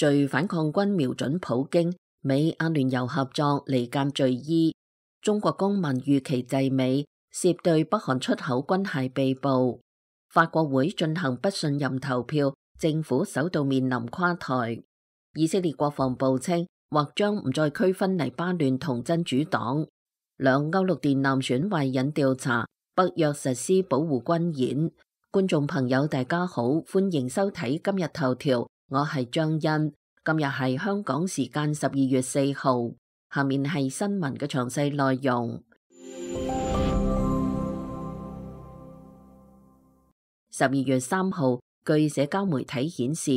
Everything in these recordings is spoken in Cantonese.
敘反抗軍瞄準普京，美阿聯酋合作離間敘伊。中國公民預期滯美，涉對北韓出口軍械被捕。法國會進行不信任投票，政府首度面臨垮台。以色列國防部稱，或將唔再區分黎巴嫩同真主黨。兩歐陸電纜損壞引調查，北約實施保護軍演。觀眾朋友大家好，歡迎收睇今日頭條，我係張欣。今日係香港時間12月4號，下面係新聞嘅詳細內容。12月3號，據社交媒體顯示，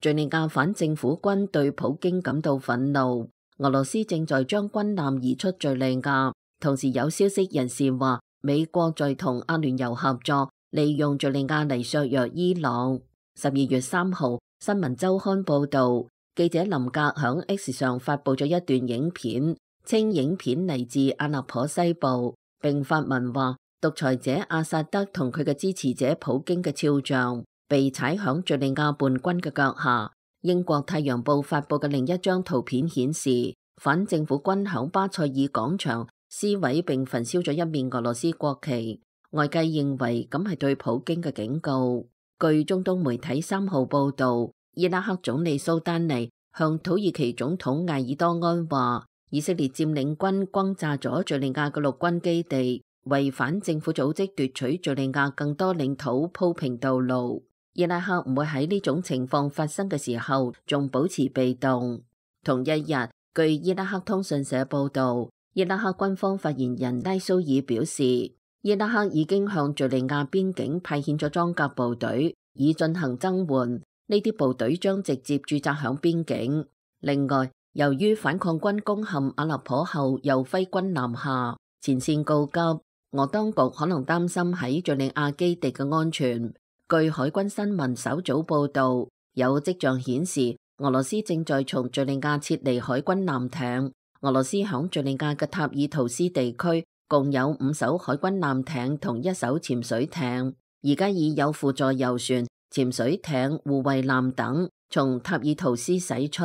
敘利亞反政府軍對普京感到憤怒，俄羅斯正在將軍艦移出敘利亞。同時有消息人士話，美國在同阿聯酋合作，利用敘利亞嚟削弱伊朗。12月3號，新聞週刊報導，記者林格響 X 上發佈咗一段影片，稱影片嚟自阿勒頗西部，並發文話獨裁者阿薩德同佢嘅支持者普京嘅肖像被踩響敘利亞叛軍嘅腳下。英國太陽報發佈嘅另一張圖片顯示，反政府軍響巴塞爾廣場撕毀並焚燒咗一面俄羅斯國旗，外界認為咁係對普京嘅警告。據中東媒體3號報導，伊拉克總理蘇丹尼向土耳其總統艾爾多安話，以色列佔領軍轟炸咗敘利亞嘅陸軍基地，為反政府組織奪取敘利亞更多領土鋪平道路。伊拉克唔會喺呢種情況發生嘅時候仲保持被動。同一日，據伊拉克通訊社報導，伊拉克軍方發言人拉蘇爾表示，伊拉克已經向敘利亞邊境派遣咗裝甲部隊，以進行增援。呢啲部隊將直接駐紮響邊境。另外，由於反抗軍攻陷阿勒頗後又揮軍南下，前線告急，俄當局可能擔心喺敘利亞基地嘅安全。據海軍新聞稍早報導，有跡象顯示俄羅斯正在從敘利亞撤離海軍艦艇。俄羅斯響敘利亞嘅塔爾圖斯地區共有5艘海軍艦艇同1艘潛水艇，而家已有輔助油船、潛水艇、護衛艦等從塔爾圖斯駛出。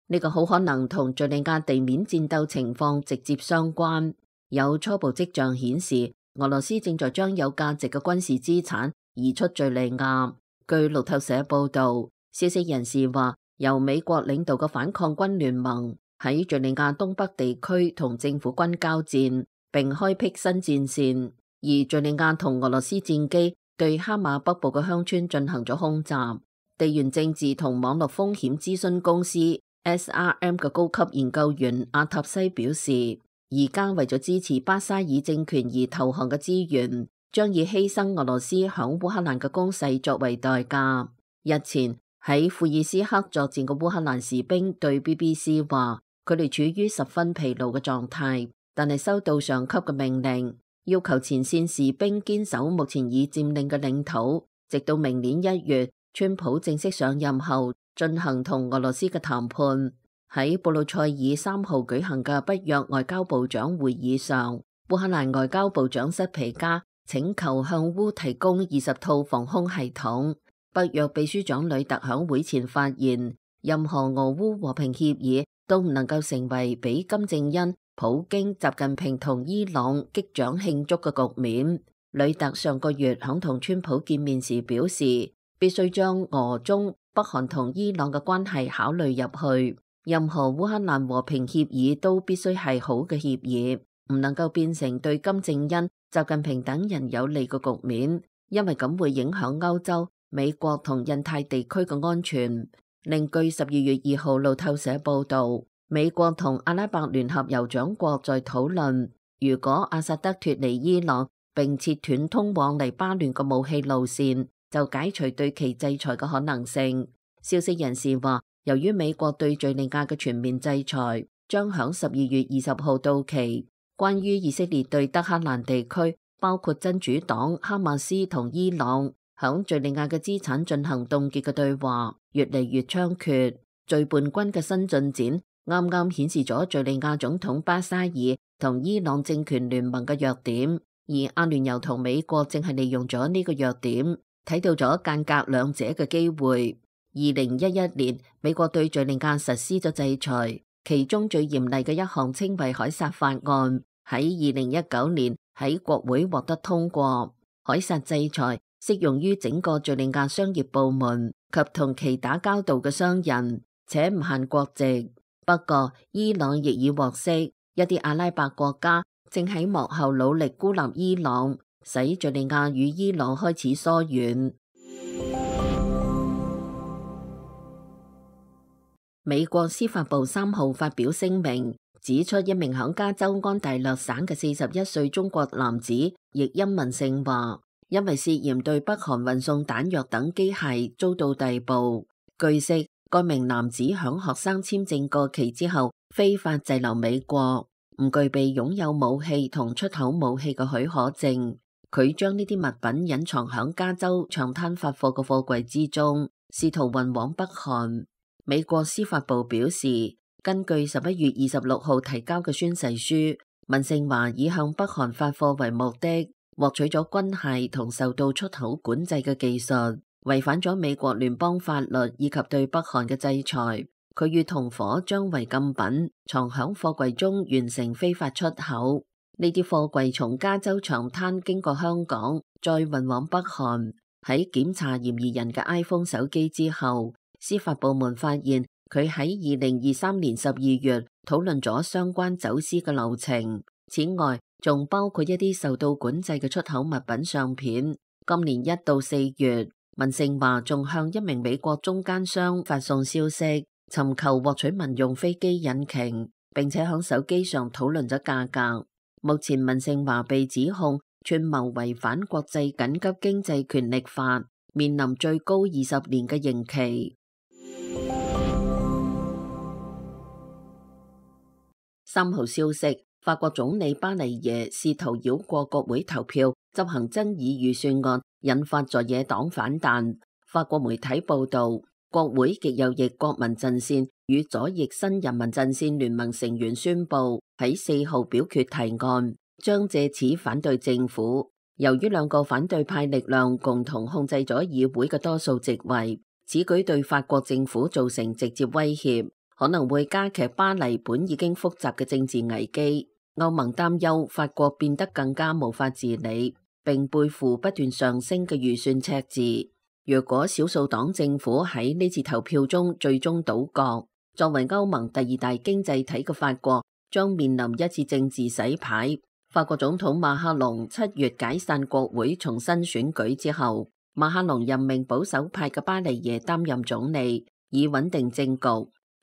呢個好可能同敘利亞地面戰鬥情況直接相關。有初步跡象顯示，俄羅斯正在將有價值嘅軍事資產移出敘利亞。據路透社報導，消息人士話，由美國領導嘅反抗軍聯盟喺敘利亞東北地區同政府軍交戰，並開闢新戰線。而敘利亞同俄羅斯戰機對哈馬北部嘅鄉村進行咗空襲。地緣政治同網絡風險諮詢公司 SRM 嘅高級研究員阿塔西表示，而家為咗支持巴沙爾政權而投降嘅資源，將以犧牲俄羅斯響烏克蘭嘅攻勢作為代價。日前喺庫爾斯克作戰嘅烏克蘭士兵對 BBC 話，佢哋處於十分疲勞嘅狀態，但係收到上級嘅命令，要求前線士兵堅守目前已佔領嘅領土，直到明年1月，川普正式上任後進行同俄羅斯嘅談判。喺布魯塞爾3號舉行嘅北約外交部長會議上，烏克蘭外交部長塞皮加請求向烏提供20套防空系統。北約秘書長呂特響會前發言，任何俄烏和平協議都唔能夠成為俾金正恩、普京、習近平同伊朗擊掌慶祝嘅局面。呂特上個月響同川普見面時表示，必須將俄中、北韓同伊朗嘅關係考慮入去。任何烏克蘭和平協議都必須係好嘅協議，唔能夠變成對金正恩、習近平等人有利嘅局面，因為咁會影響歐洲、美國同印太地區嘅安全。另據12月2號路透社報導，美國同阿拉伯聯合酋長國在討論，如果阿薩德脫離伊朗並切斷通往黎巴嫩嘅武器路線，就解除對其制裁嘅可能性。消息人士話，由於美國對敘利亞嘅全面制裁將響12月20號到期，關於以色列對德黑蘭地區，包括真主黨、哈馬斯同伊朗響敘利亞嘅資產進行凍結嘅對話越嚟越猖獗。敘叛軍嘅新進展啱啱顯示咗敘利亞總統巴沙爾同伊朗政權聯盟嘅弱點，而阿聯酋同美國正係利用咗呢個弱點，睇到咗間隔兩者嘅機會。2011年，美國對敘利亞實施咗制裁，其中最嚴厲嘅一項稱為凱撒法案，喺2019年喺國會獲得通過。凱撒制裁適用於整個敘利亞商業部門及同其打交道嘅商人，且唔限國籍。不過，伊朗亦已獲悉，一啲阿拉伯國家正喺幕後努力孤立伊朗，使敘利亞與伊朗開始疏遠。美國司法部3號發表聲明，指出一名響加州安大略省嘅41歲中國男子譯音文勝華，因為涉嫌對北韓運送彈藥等機械遭到逮捕。據悉，該名男子響學生簽證過期之後非法滯留美國，唔具備擁有武器同出口武器嘅許可證。佢將呢啲物品隱藏響加州長灘發貨嘅貨櫃之中，試圖運往北韓。美國司法部表示，根據11月26號提交嘅宣誓書，文勝華以向北韓發貨為目的，獲取咗軍械同受到出口管制嘅技術，違反咗美國聯邦法律以及對北韓嘅制裁。佢與同夥將違禁品藏響貨櫃中，完成非法出口。呢啲貨櫃從加州長灘經過香港，再運往北韓。喺檢查嫌疑人嘅 iPhone 手機之後，司法部門發現佢喺2023年12月討論咗相關走私嘅流程。此外，仲包括一啲受到管制嘅出口物品相片。今年1到4月，文勝華仲向一名美國中間商發送消息，尋求獲取民用飛機引擎，並且響手機上討論咗價格。目前文勝華被指控串謀違反國際緊急經濟權力法，面臨最高20年嘅刑期。3號消息，法國總理巴黎耶試圖繞過國會投票執行爭議預算案，引發在野黨反彈。法國媒體報道，國會極右翼國民陣線與左翼新人民陣線聯盟成員宣布喺4號表決提案，將借此反對政府。由於兩個反對派力量共同控制咗議會嘅多數席位，此舉對法國政府造成直接威脅，可能會加劇巴黎本已經複雜嘅政治危機。歐盟擔憂法國變得更加無法治理，並背負不斷上升嘅預算赤字。若果少數黨政府喺呢次投票中最終倒閣，作為歐盟第2大經濟體嘅法國將面臨一次政治洗牌。法國總統馬克龍7月解散國會重新選舉之後，馬克龍任命保守派嘅巴黎耶擔任總理，以穩定政局。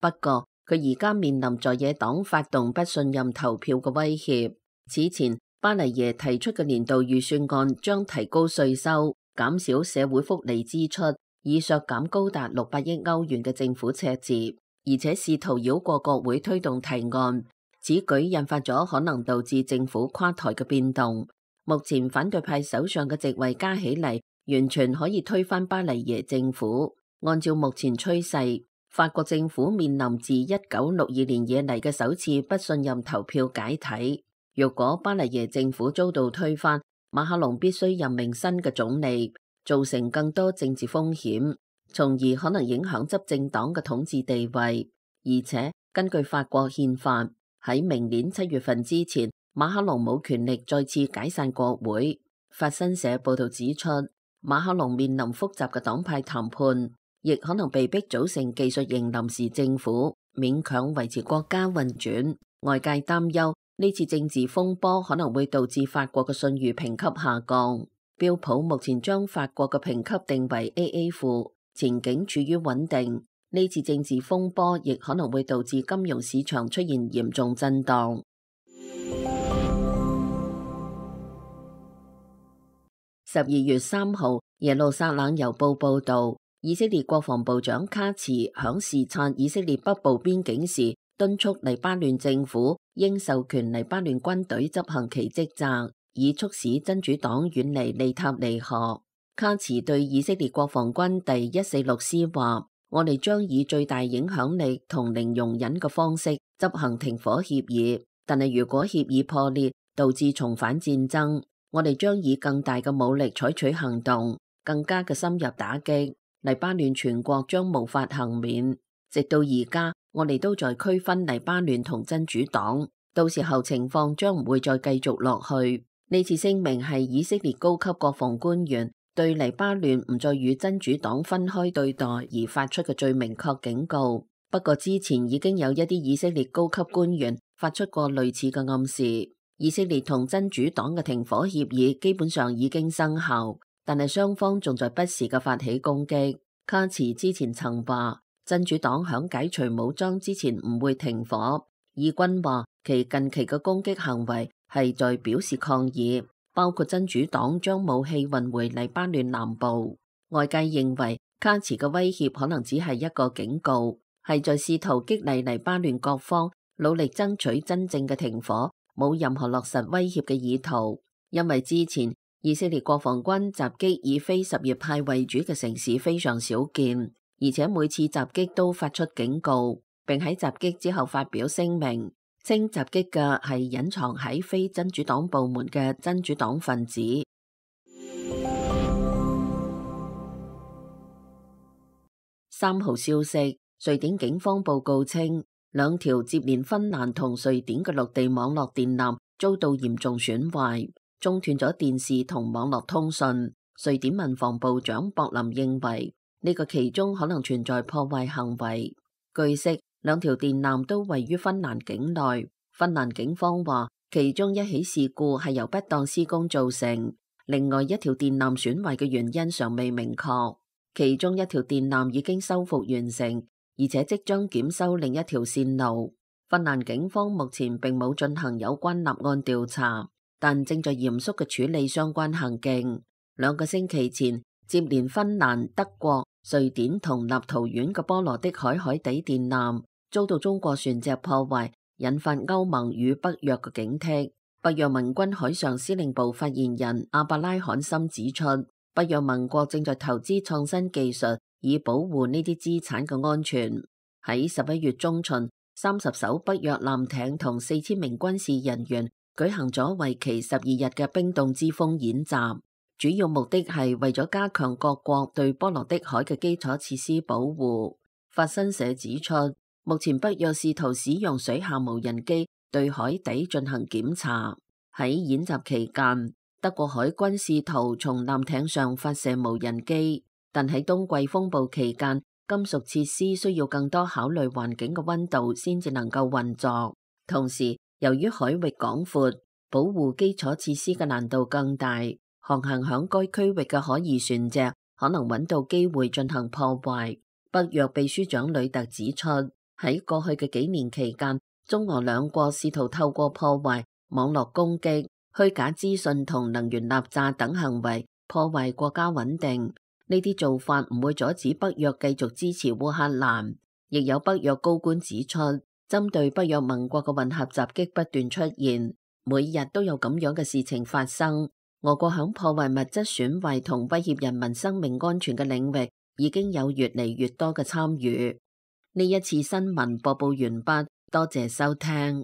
不過，佢而家面臨在野黨發動不信任投票嘅威脅。此前，巴黎耶提出嘅年度預算案將提高稅收，減少社會福利支出，以削減高達600億歐元嘅政府赤字，而且試圖繞過國會推動提案。此舉引發咗可能導致政府垮台嘅變動。目前反對派首相嘅席位加起嚟，完全可以推翻巴黎耶政府。按照目前趨勢，法國政府面臨自1962年以嚟嘅首次不信任投票解體。若果巴黎耶政府遭到推翻，馬克龍必須任命新嘅總理，造成更多政治風險，從而可能影響執政黨嘅統治地位。而且根據法國憲法，喺明年7月份之前，馬克龍冇權力再次解散國會。法新社報道指出，馬克龍面臨複雜嘅黨派談判，亦可能被逼組成技術型臨時政府，勉強維持國家運轉。外界擔憂呢次政治風波可能會導致法國嘅信譽評級下降。標普目前將法國嘅評級定為 AA 負，前景處於穩定。呢次政治風波亦可能會導致金融市場出現嚴重震盪。12月3號，耶路撒冷郵報報導，以色列國防部長卡茨響視察以色列北部邊境時，敦促黎巴嫩政府應授權黎巴嫩軍隊執行其職責，以促使真主黨遠離利塔尼河。卡茨對以色列國防軍第146師話：我哋將以最大影響力同零容忍嘅方式執行停火協議，但係如果協議破裂，導致重返戰爭，我哋將以更大嘅武力採取行動，更加嘅深入打擊。黎巴嫩全國將無法幸免。直到而家，我哋都在區分黎巴嫩同真主黨，到時候情況將唔會再繼續落去。呢次聲明係以色列高級國防官員對黎巴嫩唔再與真主黨分開對待而發出嘅最明確警告。不過之前已經有一啲以色列高級官員發出過類似嘅暗示。以色列同真主黨嘅停火協議基本上已經生效，但係雙方仲在不時嘅發起攻擊。卡茨之前曾話，真主黨響解除武裝之前唔會停火。以軍話其近期嘅攻擊行為係在表示抗議，包括真主黨將武器運回黎巴嫩南部。外界認為卡茨嘅威脅可能只係一個警告，係在試圖激勵黎巴嫩各方努力爭取真正嘅停火，冇任何落實威脅嘅意圖。因為之前以色列國防軍襲擊以非什葉派為主嘅城市非常少見，而且每次襲擊都發出警告，並喺襲擊之後發表聲明，稱襲擊嘅係隱藏喺非真主黨部門嘅真主黨分子。3號消息，瑞典警方報告稱，2條接連芬蘭同瑞典嘅陸地網絡電纜遭到嚴重損壞，中斷咗電視同網絡通訊。瑞典民防部長博林認為呢個其中可能存在破壞行為。據悉，2條電纜都位於芬蘭境內。芬蘭警方話，其中一起事故係由不當施工造成，另外一條電纜損壞嘅原因尚未明確。其中一條電纜已經修復完成，而且即將檢修另一條線路。芬蘭警方目前並冇進行有關立案調查，但正在嚴肅嘅處理相關行徑。2個星期前，接連芬蘭、德國、瑞典同立陶宛嘅波羅的海海底電纜遭到中國船隻破壞，引發歐盟與北約嘅警惕。北約盟軍海上司令部發言人阿伯拉罕森指出，北約盟國正在投資創新技術，以保護呢啲資產嘅安全。喺11月中旬，30艘北約艦艇同4000名軍事人員舉行咗為期12日嘅冰凍之風演習，主要目的係為咗加強各國對波羅的海嘅基礎設施保護。法新社指出，目前北約試圖使用水下無人機對海底進行檢查。喺演習期間，德國海軍試圖從艦艇上發射無人機，但喺冬季風暴期間，金屬設施需要更多考慮環境嘅溫度先至能夠運作。同時，由於海域廣闊，保護基礎設施嘅難度更大，航行響該區域嘅可疑船隻可能揾到機會進行破壞。北約秘書長呂特指出，喺過去嘅幾年期間，中俄兩國試圖透過破壞、網絡攻擊、虛假資訊同能源壓榨等行為破壞國家穩定。呢啲做法唔會阻止北約繼續支持烏克蘭。亦有北約高官指出，針對北約盟國嘅混合襲擊不斷出現，每日都有咁樣嘅事情發生。俄國響破壞物質損壞同威脅人民生命安全嘅領域已經有越嚟越多嘅參與。呢一次新聞播報完畢，多謝收聽。